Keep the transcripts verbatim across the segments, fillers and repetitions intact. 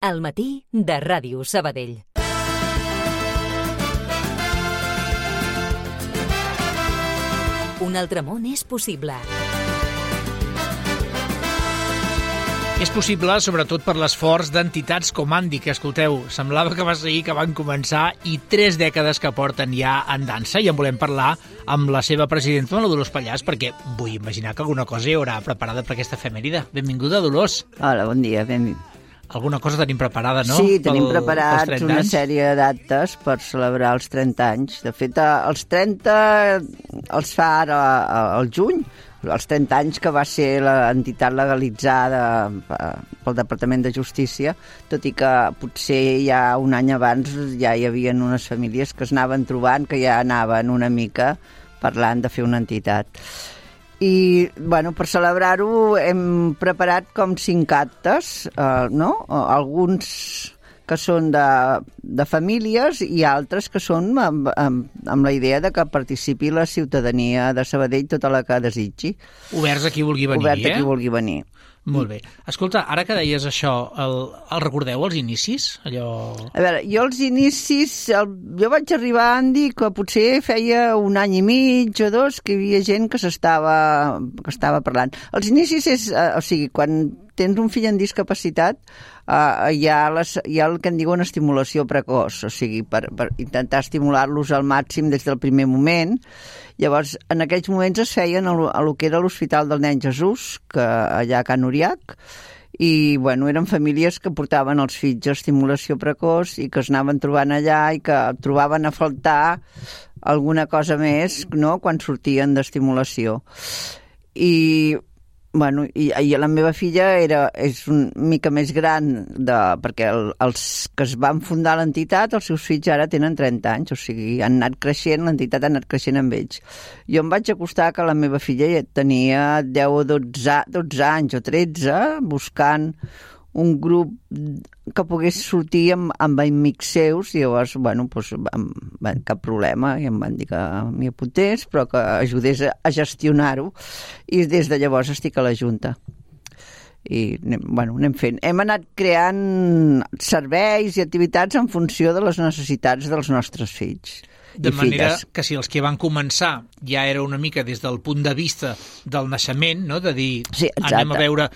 Al matí de Ràdio Sabadell. Un altre món és possible. És possible, sobretot per l'esforç d'entitats com Andi, que, escolteu, semblava que va ser ahir que van començar i tres dècades que porten ja en dansa, i en volem parlar amb la seva presidenta, la Dolors Pallàs, perquè vull imaginar que alguna cosa hi haurà preparada per aquesta efemèride. Benvinguda, Dolors. Hola, bon dia, benvingut. Alguna cosa tenim preparada, no? Sí, tenim Pel, preparats una sèrie de dates per celebrar els trenta anys. De fet, els trenta els fa ara al juny, els trenta anys que va ser l'entitat legalitzada pel Departament de Justícia, tot i que potser ja un any abans ja hi havia unes famílies que es anaven trobant, que ja anaven una mica parlant de fer una entitat. I, bueno, per celebrar-ho hem preparat com cinc actes, eh, no? Alguns que són de, de famílies i altres que són amb, amb, amb la idea de que participi la ciutadania de Sabadell, tota la que desitgi. Oberts a qui vulgui venir, Obert eh? a qui vulgui venir. Molt bé. Escolta, ara que deies això, el, el recordeu, els inicis? Allò... A veure, jo els inicis... El, jo vaig arribar, Andi, que potser feia un any i mig o dos que hi havia gent que s'estava que estava parlant. Els inicis és... Eh, o sigui, quan tens un fill amb discapacitat, eh, hi, ha les, hi ha el que en diuen estimulació precoç, o sigui, per, per intentar estimular-los al màxim des del primer moment. Llavors, en aquells moments es feien a lo que era l'Hospital del Nen Jesús, que allà a Can Uriac, i bueno, eren famílies que portaven els fills a estimulació precoç i que es anaven trobant allà i que trobaven a faltar alguna cosa més, no?, quan sortien d'estimulació. I... Bueno, i, i la meva filla era, és una mica més gran, de, perquè el, els que es van fundar l'entitat, els seus fills ara tenen trenta anys, o sigui, han anat creixent, l'entitat ha anat creixent amb ells. Jo em vaig acostar que la meva filla ja tenia deu o dotze, dotze anys o tretze, buscant un grup que pogués sortir amb, amb amics seus, i llavors, bueno, doncs, amb, cap problema, i em van dir que m'hi apuntés, però que ajudés a, a gestionar-ho, i des de llavors estic a la Junta. I, bueno, anem fent. Hem anat creant serveis i activitats en funció de les necessitats dels nostres fills. De manera que si els que van començar ja era una mica des del punt de vista del naixement, no?, de dir, sí, anem a veure...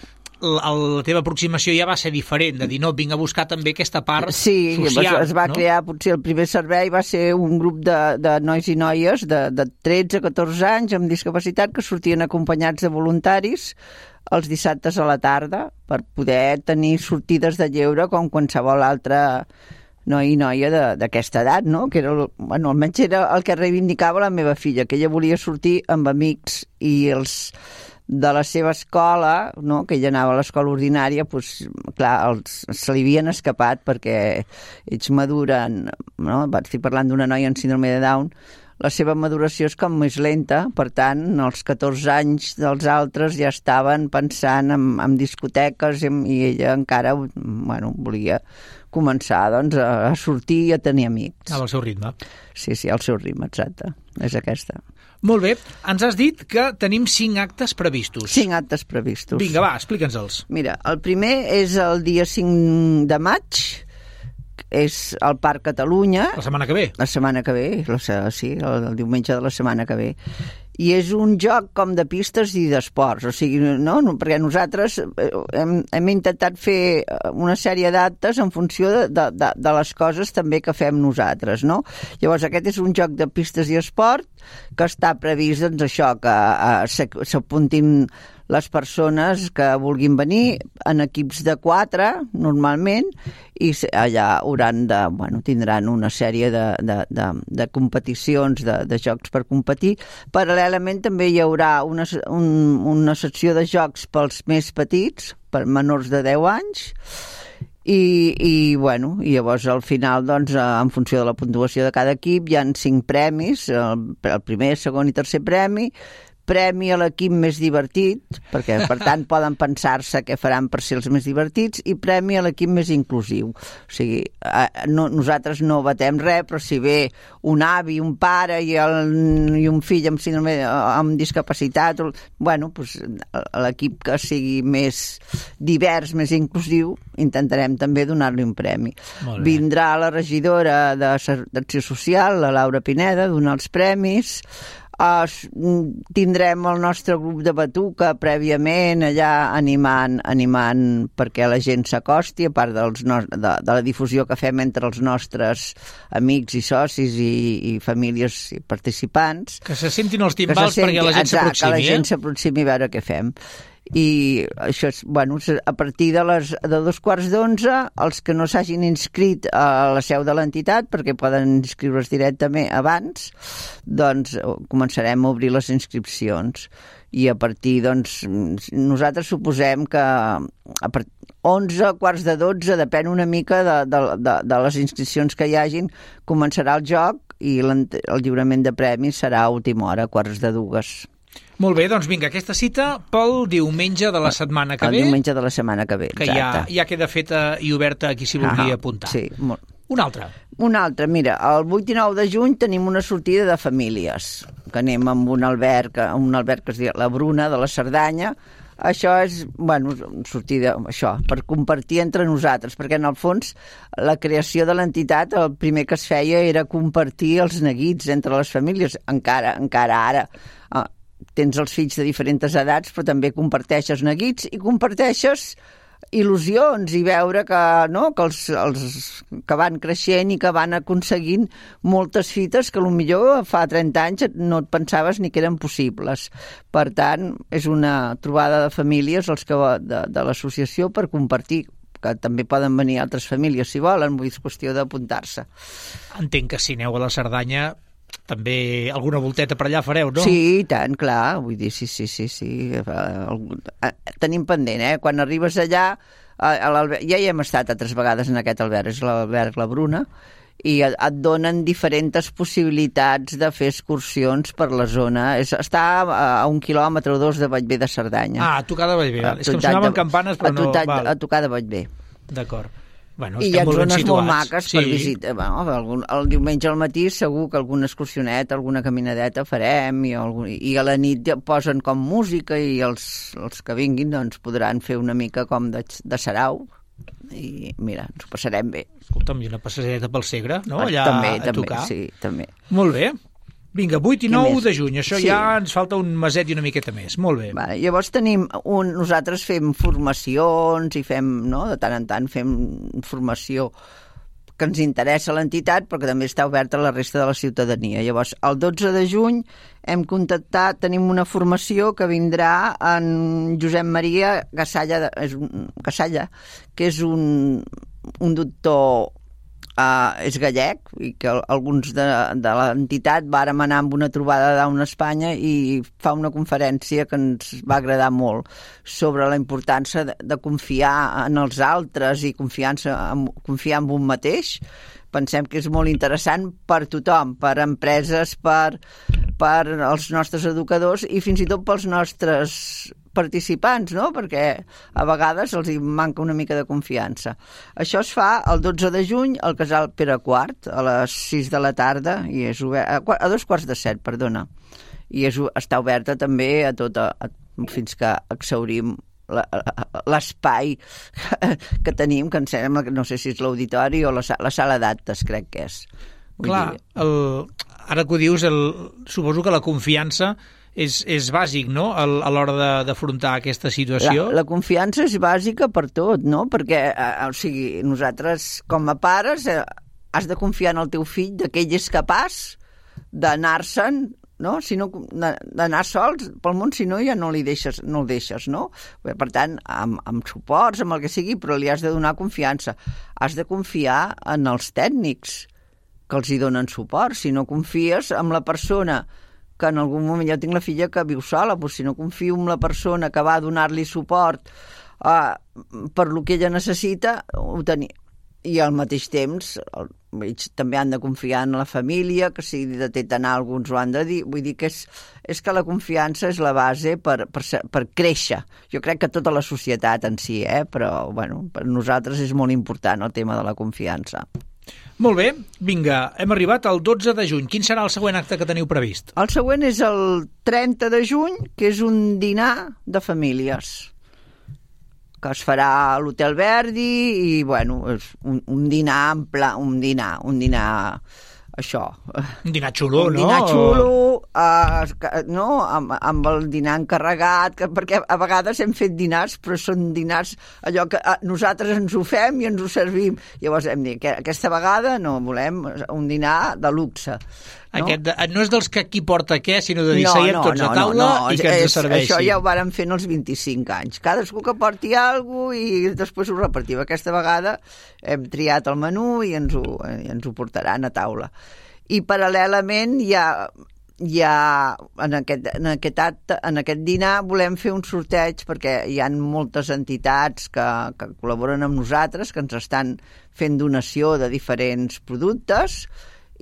La, la teva aproximació ja va ser diferent, de dir, no, vinc a buscar també aquesta part sí, social. Sí, es va no? crear, potser el primer servei va ser un grup de, de nois i noies de, de tretze a catorze anys amb discapacitat que sortien acompanyats de voluntaris els dissabtes a la tarda per poder tenir sortides de lleure com qualsevol altre noi i noia d'aquesta edat, no? Que era, bueno, almenys era el que reivindicava la meva filla, que ella volia sortir amb amics i els de la seva escola, no?, que ella anava a l'escola ordinària, doncs, clar, els, se li havien escapat perquè ells maduren, no?, estic parlant d'una noia amb síndrome de Down, la seva maduració és com més lenta, per tant, als catorze anys dels altres ja estaven pensant en, en discoteques i, i ella encara, bueno, volia començar, doncs, a sortir i a tenir amics. Al seu ritme. Sí, sí, al seu ritme, exacte. És aquesta. Molt bé. Ens has dit que tenim cinc actes previstos. Cinc actes previstos. Vinga, va, explica'ns-els. Mira, el primer és el dia cinc de maig, és al Parc Catalunya. La setmana que ve. La setmana que ve, la, sí, el, el diumenge de la setmana que ve. I és un joc com de pistes i d'esports, o sigui, no? Perquè nosaltres hem, hem intentat fer una sèrie d'actes en funció de, de, de les coses també que fem nosaltres, no? Llavors aquest és un joc de pistes i esport que està previst, doncs, això, que s'apuntin les persones que vulguin venir en equips de quatre, normalment, i allà hauran de, bueno, tindran una sèrie de, de, de, de competicions, de, de jocs per competir. Paral·lelament també hi haurà una, un, una secció de jocs pels més petits, per menors de deu anys, i, i, bueno, i llavors al final, doncs, en funció de la puntuació de cada equip, hi ha cinc premis, el, el primer, segon i tercer premi, premi a l'equip més divertit, perquè per tant poden pensar-se què faran per ser els més divertits, i premi a l'equip més inclusiu. O sigui, no, nosaltres no batem res, però si ve un avi, un pare i, el, i un fill amb síndrome amb discapacitat, bueno, doncs, l'equip que sigui més divers, més inclusiu, intentarem també donar-li un premi. Vindrà la regidora d'Acció Social, la Laura Pineda, a donar els premis. Uh, tindrem el nostre grup de batuca prèviament allà animant, animant perquè la gent s'acosti, a part dels no, de, de la difusió que fem entre els nostres amics i socis i, i famílies i participants. Que se sentin els timbals senti, perquè la gent s'aproximi. Que la gent s'aproximi a veure què fem. I això és, bueno, a partir de, les, de dos quarts d'onze, els que no s'hagin inscrit a la seu de l'entitat, perquè poden inscriure's directament abans, doncs començarem a obrir les inscripcions. I a partir, doncs, nosaltres suposem que a part, onze, quarts de dotze, depèn una mica de, de, de, de les inscripcions que hi hagin, començarà el joc i el lliurament de premis serà a última hora, quarts de dues. Molt bé, doncs vinga, aquesta cita pel diumenge de la setmana que el ve. El diumenge de la setmana que ve, que ja, ja queda feta i oberta a qui s'hi vulgui ah, apuntar. Sí, molt. Una altra. Una altra, mira, el vuit i nou de juny tenim una sortida de famílies, que anem amb un alberg, un alberg que es diu La Bruna, de la Cerdanya. Això és, bueno, sortida, això, per compartir entre nosaltres, perquè en el fons la creació de l'entitat, el primer que es feia era compartir els neguits entre les famílies, encara, encara ara. Uh, tens els fills de diferents edats, però també comparteixes neguits i comparteixes il·lusions i veure que, no, que, els, els, que van creixent i que van aconseguint moltes fites que potser fa trenta anys no et pensaves ni que eren possibles. Per tant, és una trobada de famílies els que, de, de l'associació per compartir, que també poden venir altres famílies si volen, vull dir, és qüestió d'apuntar-se. Entenc que si aneu a la Cerdanya també alguna volteta per allà fareu, no? Sí, tant, clar, vull dir, sí, sí, sí, sí. Tenim pendent, eh? Quan arribes allà, a ja hi hem estat altres vegades en aquest alberg, és l'alberg La Bruna, i et donen diferents possibilitats de fer excursions per la zona. És, està a un quilòmetre o dos de Bellver de Cerdanya. Ah, a tocar de Bellver. És que em sonaven de, campanes, però a tocar, no... Val. A tocar de Bellver. D'acord. Bueno, i hi ha zones molt maques sí. per visitar. Bueno, el, el diumenge al matí segur que alguna excursioneta, alguna caminadeta farem i, algun, i a la nit posen com música i els, els que vinguin doncs, podran fer una mica com de, de sarau i mira, ens ho passarem bé. Escolta'm, i una passadeta pel Segre, no? Allà també, a també, tocar. Sí, també. Molt bé. Vinga, vuit i nou de juny, això sí. Ja ens falta un meset i una miqueta més. Molt bé. Vale, llavors tenim un... Nosaltres fem formacions i fem, no?, de tant en tant fem formació que ens interessa l'entitat, però que també està oberta a la resta de la ciutadania. Llavors, el dotze de juny hem contactat, tenim una formació que vindrà en Josep Maria Gassalla, és un, Gassalla que és un, un doctor... Uh, és gallec i que alguns de, de l'entitat vàrem anar amb una trobada d'Down Espanya i fa una conferència que ens va agradar molt sobre la importància de, de confiar en els altres i confiança en, confiar en un mateix. Pensem que és molt interessant per tothom, per empreses, per, per els nostres educadors i fins i tot pels nostres participants, no? Perquè a vegades els hi manca una mica de confiança. Això es fa el dotze de juny al Casal Pere Quart, a les sis de la tarda, i és obert, a, a dos quarts de set, perdona. I és, està oberta també a tota, a, fins que exhaurim l'espai que tenim, que em sembla que no sé si és l'auditori o la, la sala d'actes, crec que és. Vull Clar, el, ara que ho dius, el, suposo que la confiança és, és bàsic, no?, a, a l'hora d'afrontar aquesta situació. La, la confiança és bàsica per tot, no?, perquè, eh, o sigui, nosaltres, com a pares, eh, has de confiar en el teu fill que ell és capaç d'anar-se'n, no?, si no, d'anar sols pel món, si no ja no li deixes, no el deixes, no? Per tant, amb, amb suports, amb el que sigui, però li has de donar confiança. Has de confiar en els tècnics que els hi donen suport. Si no confies en la persona que en algun moment, jo tinc la filla que viu sola, doncs si no confio en la persona que va donar-li suport uh, per lo que ella necessita, ho tenia. I al mateix temps, també han de confiar en la família, que si detecten alguns ho han de dir. Vull dir que és, és que la confiança és la base per, per, per créixer. Jo crec que tota la societat en si, eh? Però bueno, per nosaltres és molt important el tema de la confiança. Molt bé, vinga, hem arribat al dotze de juny. Quin serà el següent acte que teniu previst? El següent és el trenta de juny, que és un dinar de famílies, que es farà a l'Hotel Verdi i, bueno, és un, un dinar en pla, un dinar, un dinar, això. Un dinar xulo, un no? Un dinar xulo, uh, no? Amb, amb el dinar encarregat, que, perquè a vegades hem fet dinars, però són dinars allò que uh, nosaltres ens ho fem i ens ho servim. Llavors hem dit que aquesta vegada no, volem un dinar de luxe. No? Aquest, no és dels que qui porta què, sinó de dir no, seiem no, tots no, a taula no, no. i que ens és, serveixi. Això ja ho vàrem fer en els vint-i-cinc anys. Cadascú que porti alguna cosa i després ho repartim. Aquesta vegada hem triat el menú i ens ho, i ens ho portaran a taula. I paral·lelament hi ha, hi ha en, aquest, en, aquest acte, en aquest dinar volem fer un sorteig perquè hi ha moltes entitats que, que col·laboren amb nosaltres, que ens estan fent donació de diferents productes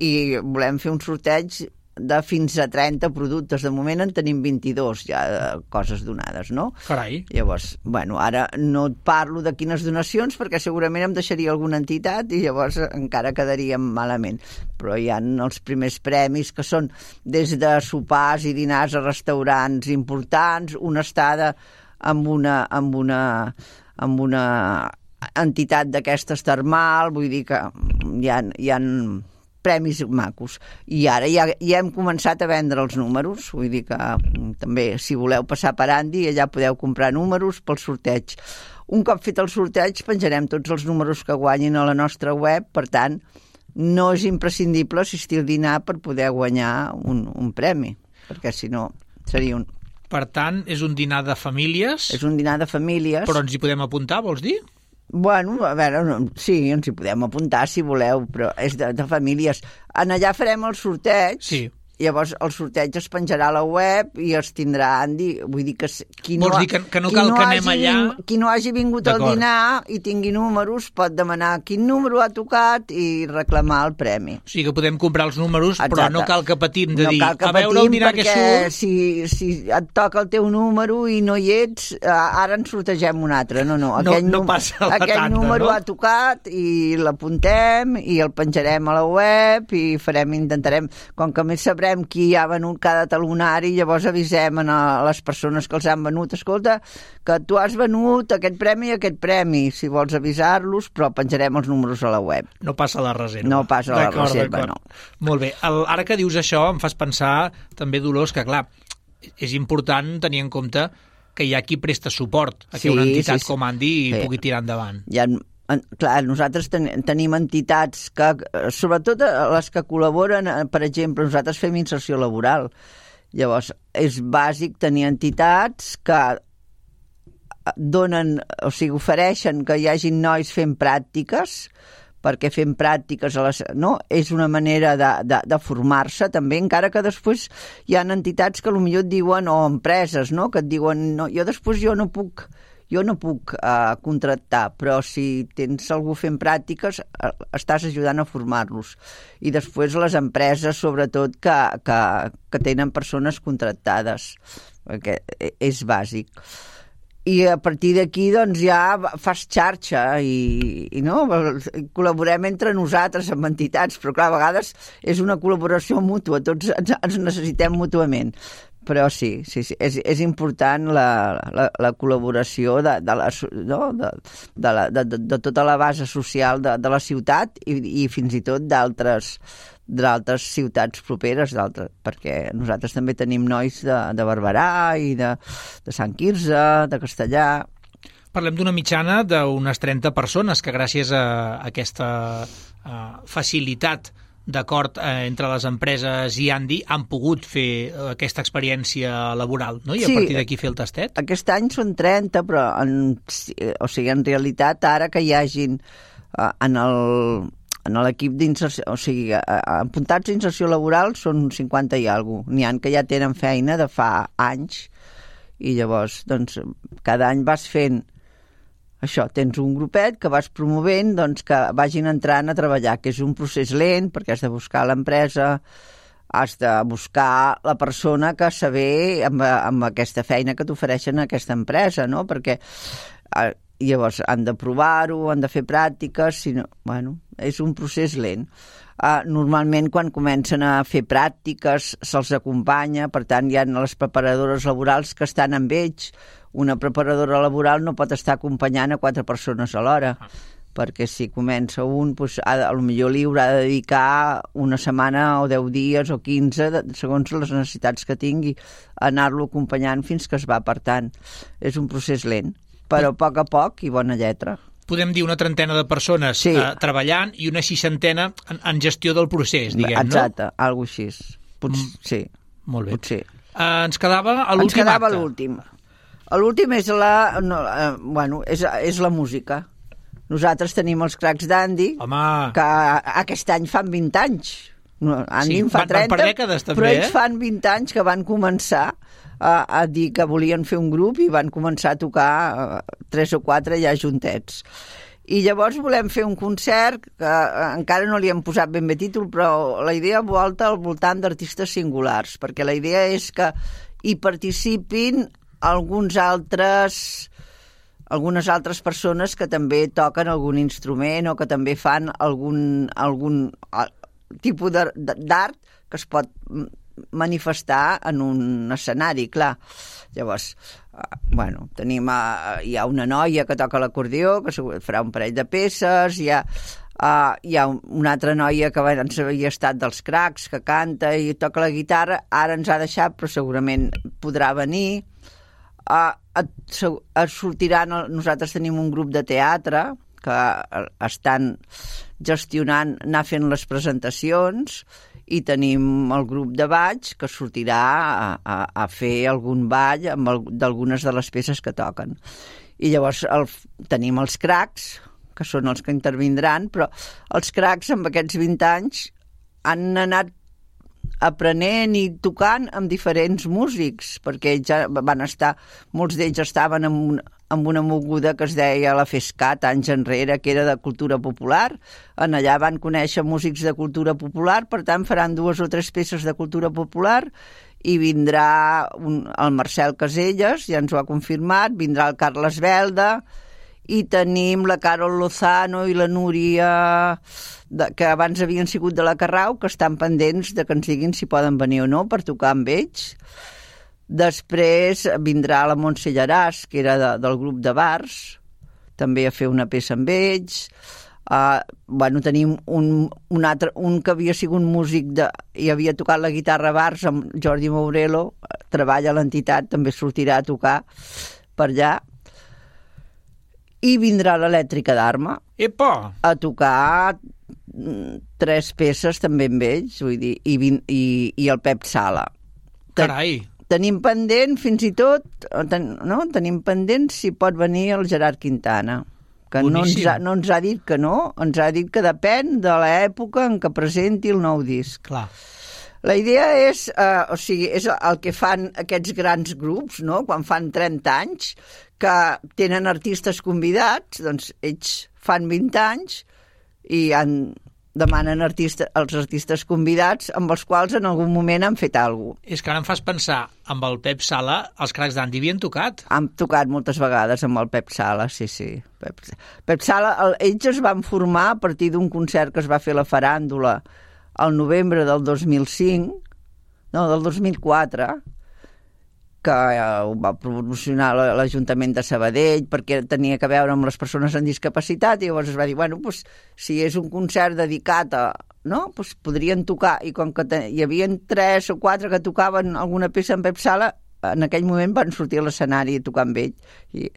i volem fer un sorteig de fins a trenta productes. De moment en tenim vint-i-dos ja de coses donades, no? Carai. Llavors, bueno, ara no et parlo de quines donacions perquè segurament em deixaria alguna entitat i llavors encara quedaríem malament. Però hi ha els primers premis que són des de sopars i dinars a restaurants importants, una estada amb una, amb una, amb una entitat d'aquestes termal, vull dir que hi ha, hi ha premis macos. I ara ja, ja hem començat a vendre els números, vull dir que també, si voleu passar per Andy, allà podeu comprar números pel sorteig. Un cop fet el sorteig, penjarem tots els números que guanyin a la nostra web, per tant, no és imprescindible assistir al dinar per poder guanyar un, un premi, perquè si no seria un... Per tant, és un dinar de famílies? És un dinar de famílies. Però ens hi podem apuntar, vols dir? Bueno, a veure, sí, ens hi podem apuntar si voleu, però és de, de famílies. En allà farem el sorteig. Sí. Llavors el sorteig es penjarà a la web i es tindrà Andy, vull dir que qui no, Vols dir que, que no cal no que anem allà... Ving, qui no hagi vingut al dinar i tingui números pot demanar quin número ha tocat i reclamar el premi. O sigui que podem comprar els números, exacte, però no cal que patim de no dir, a veure el dinar que surt... Si, si et toca el teu número i no hi ets, ara en sortegem un altre. No, no, aquell, no, no passa la aquell tanda, número no? ha tocat i l'apuntem i el penjarem a la web i farem, intentarem, com que més sabrem qui ha venut cada talonari, llavors avisem a les persones que els han venut, escolta, que tu has venut aquest premi i aquest premi, si vols avisar-los, però penjarem els números a la web. No passa la reserva. No passa la reserva, no. Molt bé. El, ara que dius això, em fas pensar també, Dolors, que clar, és important tenir en compte que hi ha qui presta suport a que sí, una entitat sí, sí. com Andy sí. pugui tirar endavant. Hi ha clar, nosaltres ten, tenim entitats que, sobretot les que col·laboren, per exemple, nosaltres fem inserció laboral. Llavors, és bàsic tenir entitats que donen, o sigui, ofereixen que hi hagin nois fent pràctiques, perquè fem pràctiques a les, no? És una manera de, de, de formar-se també, encara que després hi ha entitats que potser et diuen, o empreses, no? Que et diuen, no, jo després jo no puc jo no puc uh, contractar, però si tens algú fent pràctiques, uh, estàs ajudant a formar-los. I després les empreses, sobretot, que, que, que tenen persones contractades, perquè és bàsic. I a partir d'aquí, doncs, ja fas xarxa i, i no? Col·laborem entre nosaltres amb entitats, però clar, a vegades és una col·laboració mútua, tots ens, ens necessitem mútuament. Però sí, sí, sí és, és important la, la, la col·laboració de, de, la, no? de, de, la, de, de tota la base social de, de la ciutat i, i fins i tot d'altres d'altres ciutats properes, perquè nosaltres també tenim nois de, de Barberà i de, de Sant Quirze, de Castellà. Parlem d'una mitjana d'unes trenta persones que gràcies a aquesta uh, facilitat d'acord eh, entre les empreses i Andy han pogut fer aquesta experiència laboral, no? I a sí, partir d'aquí fer el tastet? Aquest any són trenta, però en, o sigui, en realitat ara que hi hagin eh, en el en l'equip d'inserció, o sigui, apuntats a inserció laboral són cinquanta i alguna cosa. N'hi ha que ja tenen feina de fa anys i llavors, doncs, cada any vas fent això, tens un grupet que vas promovent doncs, que vagin entrant a treballar, que és un procés lent, perquè has de buscar l'empresa, has de buscar la persona que saber amb, amb aquesta feina que t'ofereixen a aquesta empresa, no? Perquè eh, llavors han de provar-ho, han de fer pràctiques, si no, bueno, és un procés lent. Uh, normalment quan comencen a fer pràctiques se'ls acompanya, per tant hi ha les preparadores laborals que estan amb ells. Una preparadora laboral no pot estar acompanyant a quatre persones alhora, ah. perquè si comença un, doncs, ha, potser li haurà de dedicar una setmana o deu dies o quinze, segons les necessitats que tingui, a anar-lo acompanyant fins que es va apartant. És un procés lent, però a poc a poc i bona lletra. Podem dir una trentena de persones sí. eh, treballant i una seixantena en, en gestió del procés, diguem, Exacte, no? Exacte, alguna cosa així. Pot, mm. Sí. Molt bé. Potser. Eh, ens quedava a l'últim acte. Ens quedava acte. l'últim. L'últim és la, no, eh, bueno, és, és la música. Nosaltres tenim els Cracs d'Andy, que aquest any fan vint anys. Andy sí, en fa van, trenta, van per dècades, també, però ells eh? fan vint anys que van començar a, a dir que volien fer un grup i van començar a tocar uh, tres o quatre ja juntets. I llavors volem fer un concert que uh, encara no li hem posat ben bé títol, però la idea volta al voltant d'artistes singulars, perquè la idea és que hi participin alguns altres... algunes altres persones que també toquen algun instrument o que també fan algun, algun tipus d'art que es pot manifestar en un escenari, clar. Llavors, bueno, tenim, hi ha una noia que toca l'acordió, que farà un parell de peces, hi ha, uh, hi ha una altra noia que abans havia estat dels Cracs, que canta i toca la guitarra, ara ens ha deixat, però segurament podrà venir. Uh, sortiran, nosaltres tenim un grup de teatre que estan gestionant, anar fent les presentacions, i tenim el grup de ball que sortirà a, a, a fer algun ball amb el, d'algunes de les peces que toquen. I llavors el, tenim els Cracs, que són els que intervindran, però els Cracs amb aquests vint anys han anat aprenent i tocant amb diferents músics, perquè ells ja van estar, molts d'ells estaven en, un, en una moguda que es deia la FESCAT anys enrere, que era de cultura popular. En allà van conèixer músics de cultura popular, per tant faran dues o tres peces de cultura popular i vindrà un, el Marcel Caselles, ja ens ho ha confirmat, vindrà el Carles Belda, i tenim la Carol Lozano i la Núria, de, que abans havien sigut de la Carrau, que estan pendents de que ens diguin si poden venir o no per tocar amb ells. Després vindrà la Montse Llaràs, que era de, del grup de bars, també a fer una peça amb ells. Uh, bueno, tenim un, un, altre, un que havia sigut músic de, i havia tocat la guitarra a bars, amb Jordi Mourelo, treballa a l'entitat, també sortirà a tocar per allà. I vindrà l'Elèctrica d'Arma Epa! A tocar tres peces també amb ells, vull dir, i, i, i el Pep Sala. Carai! Tenim pendent, fins i tot, ten, no? tenim pendent si pot venir el Gerard Quintana, que no ens, ha, no ens ha dit que no, ens ha dit que depèn de l'època en què presenti el nou disc. Clar. La idea és, eh, o sigui, és el que fan aquests grans grups, no?, quan fan trenta anys, que tenen artistes convidats, doncs ells fan vint anys i han, demanen artista, els artistes convidats amb els quals en algun moment han fet alguna cosa. És que ara em fas pensar, amb el Pep Sala, els Cracs d'Andy havien tocat? Han tocat moltes vegades amb el Pep Sala, sí, sí. Pep, Pep Sala, el, ells es van formar a partir d'un concert que es va fer a la Faràndula al novembre del dos mil cinc, no, del dos mil quatre, que ho va promocionar l'Ajuntament de Sabadell perquè tenia que veure amb les persones amb discapacitat, i llavors es va dir, bueno, pues, si és un concert dedicat a... no? Pues podrien tocar, i com que hi havia tres o quatre que tocaven alguna peça en Pep Sala, en aquell moment van sortir a l'escenari a tocar amb ell. I,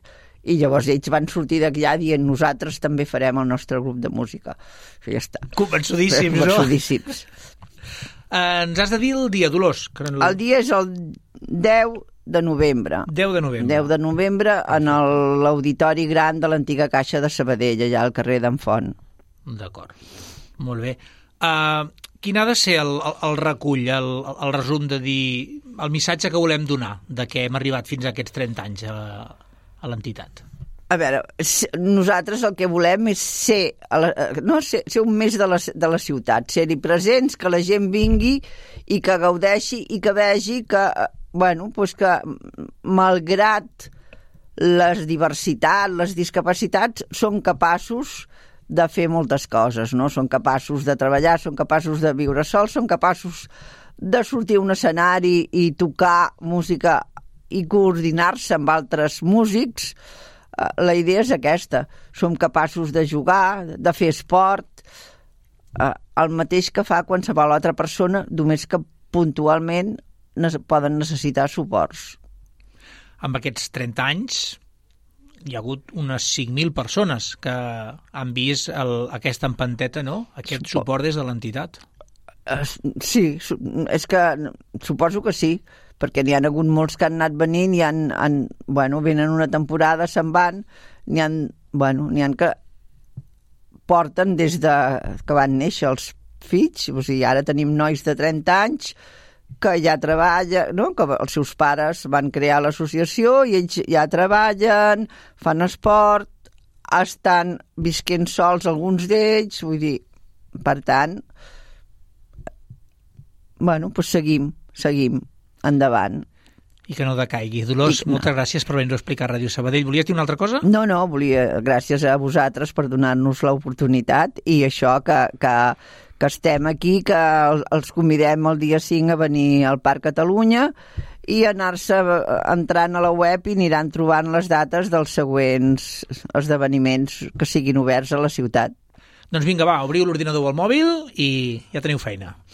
i llavors ells van sortir d'allà dient, nosaltres també farem el nostre grup de música. I ja està. Convençudíssims, no? Convençudíssims. Uh, ens has de dir el dia, Dolors. Que no... El dia és el deu de novembre. deu de novembre. deu de novembre en l'auditori gran de l'antiga Caixa de Sabadell, allà al carrer d'en Font. D'acord. Molt bé. Uh, quin ha de ser el, el, el recull, el, el resum de dir el missatge que volem donar de què hem arribat fins a aquests trenta anys a, a l'entitat? A veure, nosaltres el que volem és ser, no, ser, ser un mes de la, de la ciutat, ser-hi presents, que la gent vingui i que gaudeixi i que vegi que, bueno, pues que malgrat les diversitats, les discapacitats, són capaços de fer moltes coses, no? Són capaços de treballar, són capaços de viure sols, són capaços de sortir a un escenari i tocar música i coordinar-se amb altres músics. La idea és aquesta. Som capaços de jugar, de fer esport, el mateix que fa qualsevol altra persona, només que puntualment poden necessitar suports. Amb aquests trenta anys hi ha hagut unes cinc mil persones que han vist el, aquesta empanteta, no? Aquest suport des de l'entitat. Sí, és que suposo que sí, perquè n'hi ha hagut molts que han anat venint i han, han, bueno, venen una temporada, se'n van, n'hi ha, bueno, n'hi ha que porten des de que van néixer els fills, o sigui, ara tenim nois de trenta anys que ja treballa, no? Que els seus pares van crear l'associació i ells ja treballen, fan esport, estan visquent sols alguns d'ells, vull dir, per tant, bueno, doncs seguim, seguim endavant. I que no decaigui. Dolors, I, moltes no. gràcies per venir-ho a explicar a Ràdio Sabadell. Volies dir una altra cosa? No, no, volia, gràcies a vosaltres per donar-nos l'oportunitat i això que, que, que estem aquí, que els convidem el dia cinc a venir al Parc Catalunya i anar-se entrant a la web i aniran trobant les dates dels següents esdeveniments que siguin oberts a la ciutat. Doncs vinga, va, obriu l'ordinador o el mòbil i ja teniu feina.